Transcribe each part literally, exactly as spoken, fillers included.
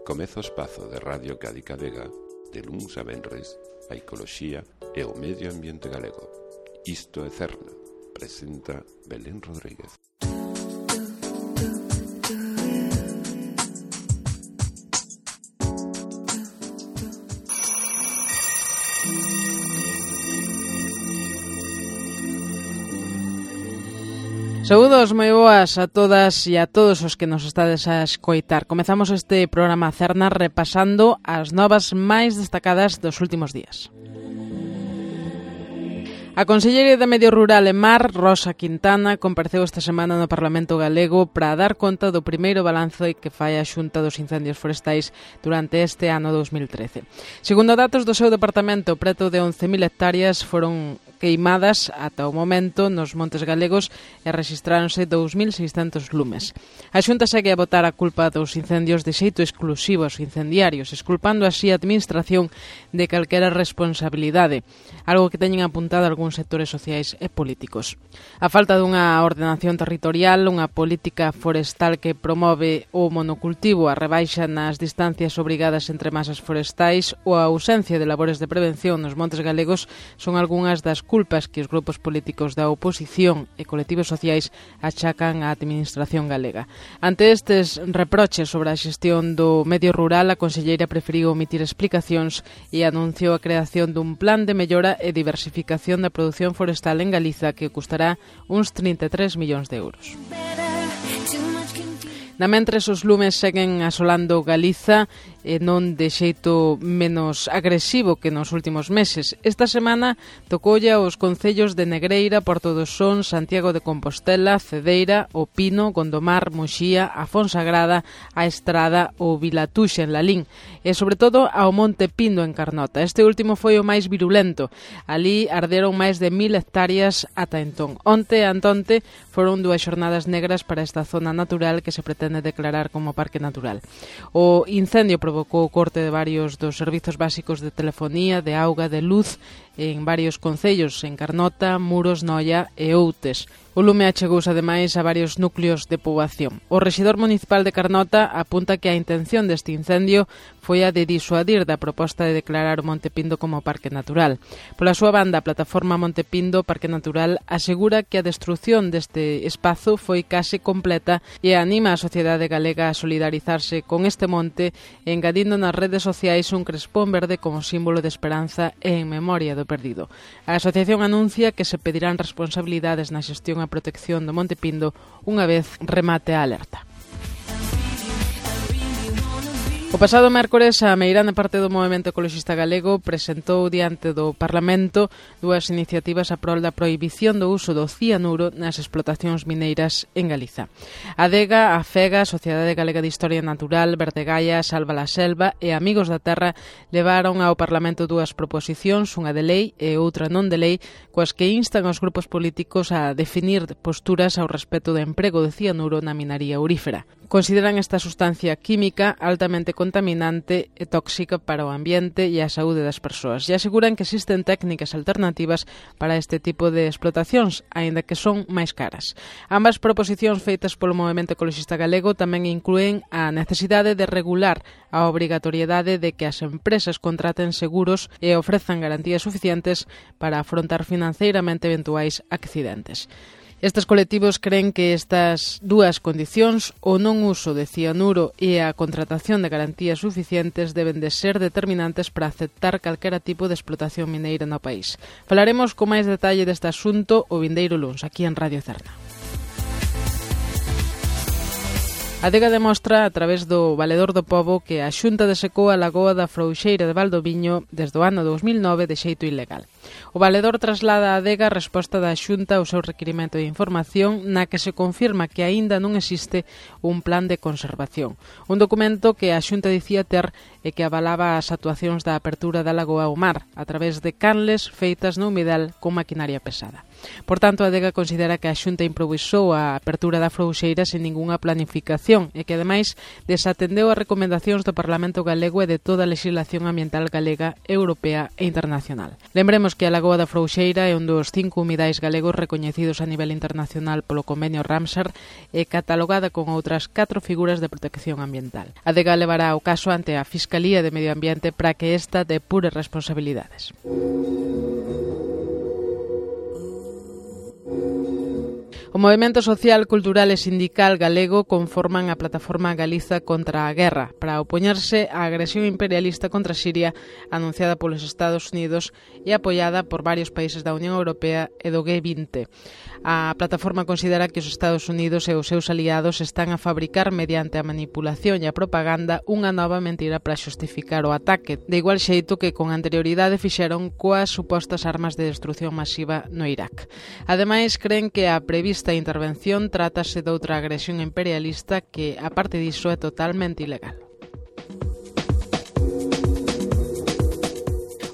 Comeza o espazo de Radio Cádiz Vega, de luns a venres, a ecoloxía e o medio ambiente galego. Isto é Cerna, presenta Belén Rodríguez. Saúdos moi boas a todas e a todos os que nos estades a escoitar. Comezamos este programa Cerna repasando as novas máis destacadas dos últimos días. A conselleira de Medio Rural e Mar, Rosa Quintana, compareceu esta semana no Parlamento Galego para dar conta do primeiro balance que fai a Xunta dos Incendios Forestais durante este ano dos mil trece. Segundo datos do seu departamento, preto de once mil hectáreas foron queimadas ata o momento nos montes galegos e rexistráronse dous mil seiscentos lumes. A Xunta segue a botar a culpa dos incendios de xeito exclusivo aos incendiarios, esculpando así a administración de calquera responsabilidade, algo que teñen apuntado algúns sectores sociais e políticos. A falta dunha ordenación territorial, unha política forestal que promove o monocultivo, a rebaixa nas distancias obrigadas entre masas forestais ou a ausencia de labores de prevención nos montes galegos son algunhas das culpas que os grupos políticos da oposición e colectivos sociais achacan á administración galega. Ante estes reproches sobre a xestión do medio rural, a conselleira preferiu omitir explicacións e anunciou a creación dun plan de mellora e diversificación da produción forestal en Galiza que custará uns trinta e tres millóns de euros. Na mentres, os lumes seguen asolando Galiza e non de xeito menos agresivo que nos últimos meses. Esta semana tocoulle aos concellos de Negreira, Porto do Son, Santiago de Compostela, Cedeira, O Pino, Gondomar, Muxía, a Fonsagrada, a Estrada ou Vilatuxe en Lalín e, sobre todo, ao Monte Pindo en Carnota. Este último foi o máis virulento. Alí arderon máis de mil hectáreas ata entón. Onte e antonte foron dúas xornadas negras para esta zona natural que se pretende declarar como parque natural. O incendio provocou o corte de varios dos servizos básicos de telefonía, de auga, de luz en varios concellos, en Carnota, Muros, Noia e Outes. O lume achegouse ademais a varios núcleos de poboación. O rexedor municipal de Carnota apunta que a intención deste incendio foi a de disuadir da proposta de declarar o Monte Pindo como parque natural. Pola súa banda, a plataforma Monte Pindo Parque Natural asegura que a destrucción deste espazo foi case completa e anima a sociedade galega a solidarizarse con este monte, engadindo nas redes sociais un crespón verde como símbolo de esperanza e en memoria do perdido. A asociación anuncia que se pedirán responsabilidades na xestión e protección do Monte Pindo unha vez remate a alerta. O pasado mércores, a meirande parte do Movemento Ecoloxista Galego presentou diante do Parlamento dúas iniciativas a prol da prohibición do uso do cianuro nas explotacións mineiras en Galiza. A Adega, a FEGA, Sociedade Galega de Historia Natural, Verdegaia, Salva la Selva e Amigos da Terra levaron ao Parlamento dúas proposicións, unha de lei e outra non de lei, coas que instan aos grupos políticos a definir posturas ao respecto do emprego de cianuro na minaría aurífera. Consideran esta sustancia química altamente contaminante e tóxica para o ambiente e a saúde das persoas e aseguran que existen técnicas alternativas para este tipo de explotacións, aínda que son máis caras. Ambas proposicións feitas polo Movemento Ecoloxista Galego tamén inclúen a necesidade de regular a obrigatoriedade de que as empresas contraten seguros e ofrezan garantías suficientes para afrontar financeiramente eventuais accidentes. Estes colectivos creen que estas dúas condicións, o non uso de cianuro e a contratación de garantías suficientes, deben de ser determinantes para aceptar calquera tipo de explotación mineira no país. Falaremos con máis detalle deste asunto o vindeiro luns, aquí en Radio Cerna. A Adega demostra, a través do Valedor do Pobo, que a Xunta desecou a lagoa da Frouxeira de Valdoviño desde o ano dous mil nove de xeito ilegal. O Valedor traslada a Adega a resposta da Xunta ao seu requirimento de información na que se confirma que aínda non existe un plan de conservación. Un documento que a Xunta dicía ter e que avalaba as actuacións da apertura da lagoa ao mar a través de canles feitas no humidal con maquinaria pesada. Por tanto, a Adega considera que a Xunta improvisou a apertura da Frouxeira sen ningunha planificación e que, ademais, desatendeu as recomendacións do Parlamento Galego e de toda a legislación ambiental galega, europea e internacional. Lembremos que a Lagoa da Frouxeira é un dos cinco humidais galegos recoñecidos a nivel internacional polo convenio Ramsar e catalogada con outras catro figuras de protección ambiental. A Adega levará o caso ante a Fiscalía de Medio Ambiente para que esta depure responsabilidades. O movemento social, cultural e sindical galego conforman a plataforma Galiza contra a Guerra para opoñerse á agresión imperialista contra Siria anunciada polos Estados Unidos e apoiada por varios países da Unión Europea e do G vinte. A plataforma considera que os Estados Unidos e os seus aliados están a fabricar mediante a manipulación e a propaganda unha nova mentira para xustificar o ataque, de igual xeito que con anterioridade fixeron coas supostas armas de destrucción masiva no Irak. Ademais, creen que a prevista Esta intervención trátase de outra agresión imperialista que, a parte diso, é totalmente ilegal.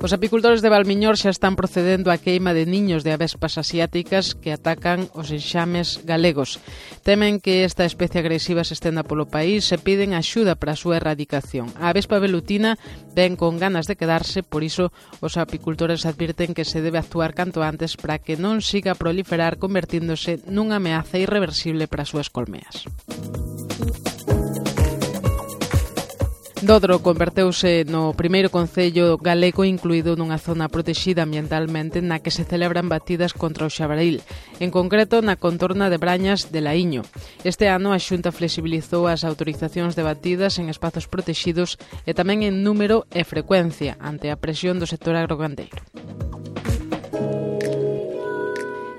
Os apicultores de Valmiñor xa están procedendo á queima de niños de avespas asiáticas que atacan os enxames galegos. Temen que esta especie agresiva se estenda polo país e piden axuda para a súa erradicación. A avespa velutina ven con ganas de quedarse, por iso os apicultores advirten que se debe actuar canto antes para que non siga a proliferar convertíndose nunha ameaza irreversible para as súas colmeas. Dodro converteuse no primeiro concello galego incluído nunha zona protexida ambientalmente na que se celebran batidas contra o xabaril, en concreto na contorna de Brañas de Laíño. Este ano a Xunta flexibilizou as autorizacións de batidas en espazos protexidos e tamén en número e frecuencia ante a presión do sector agrogandeiro.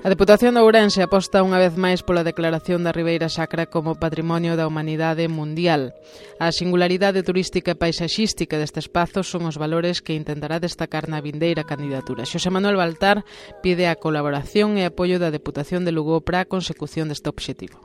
A Deputación de Ourense aposta unha vez máis pola declaración da Ribeira Sacra como Patrimonio da Humanidade Mundial. A singularidade turística e paisaxística deste espazo son os valores que intentará destacar na vindeira candidatura. Xosé Manuel Baltar pide a colaboración e apoio da Deputación de Lugo para a consecución deste obxectivo.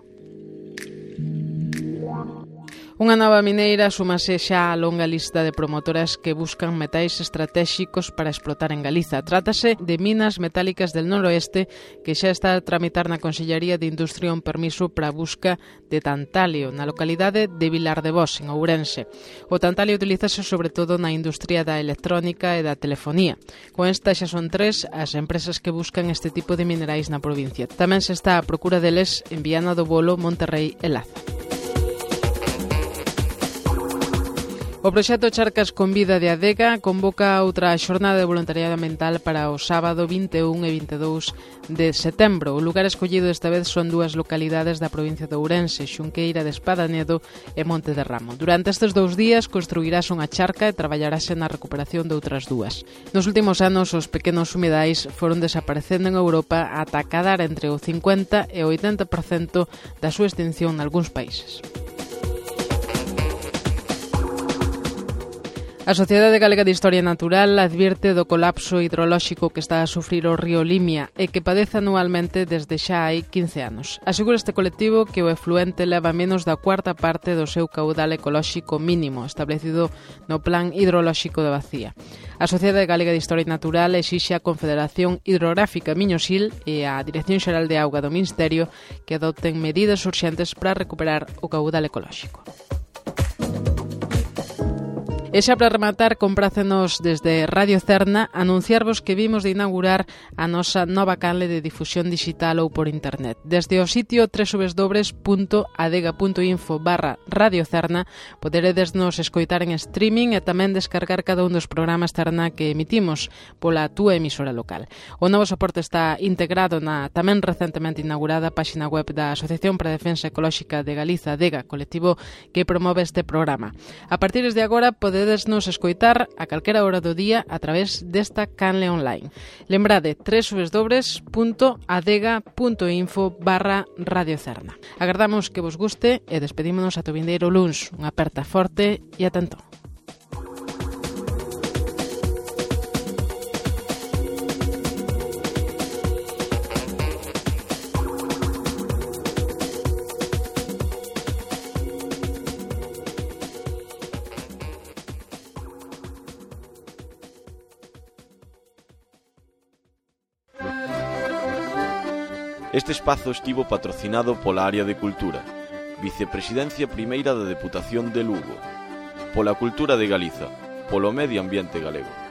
Unha nova mineira súmase xa á longa lista de promotoras que buscan metais estratéxicos para explotar en Galiza. Trátase de Minas Metálicas del Noroeste, que xa está a tramitar na Consellería de Industria un permiso para a busca de tantalio na localidade de Vilar de Bos, en Ourense. O tantalio utilízase sobre todo na industria da electrónica e da telefonía. Con esta xa son tres as empresas que buscan este tipo de minerais na provincia. Tamén se está a procura deles en Viana do Bolo, Monterrei e Laza. O proxecto Charcas con Vida de Adega convoca outra xornada de voluntariado ambiental para o sábado vinte e un e vinte e dous de setembro. O lugar escollido esta vez son dúas localidades da provincia de Ourense, Xunqueira de Espadanedo e Monte de Ramo. Durante estes dous días construirás unha charca e traballarase na recuperación de outras dúas. Nos últimos anos, os pequenos humidais foron desaparecendo en Europa ata cadar entre o cincuenta e o oitenta por cento da súa extinción nalgúns países. A Sociedade Galega de Historia Natural advierte do colapso hidrolóxico que está a sufrir o río Limia e que padece anualmente desde xa hai quince anos. Asegura este colectivo que o efluente leva menos da cuarta parte do seu caudal ecolóxico mínimo establecido no Plan Hidrolóxico da Bacía. A Sociedade Galega de Historia Natural exixe a Confederación Hidrográfica Miñosil e a Dirección Xeral de Auga do Ministerio que adopten medidas urxentes para recuperar o caudal ecolóxico. E xa para rematar, comprácenos desde Radio Cerna anunciarvos que vimos de inaugurar a nosa nova canle de difusión digital ou por internet. Desde o sitio doble u doble u doble u punto adega punto info barra Radio Cerna poderedes nos escoitar en streaming e tamén descargar cada un dos programas Cerna que emitimos pola túa emisora local. O novo soporte está integrado na tamén recentemente inaugurada páxina web da Asociación para a Defensa Ecolóxica de Galiza, ADEGA, colectivo que promove este programa. A partir de agora podedes nos escoitar a calquera hora do día a través desta canle online. Lembrade, doble u doble u doble u punto adega punto info barra Radio Cerna. Agardamos que vos guste e despedímonos ata o vindeiro luns. Unha aperta forte e atento. Este espazo estivo patrocinado pola Área de Cultura, Vicepresidencia Primeira da Deputación de Lugo, pola Cultura de Galiza, polo Medio Ambiente Galego.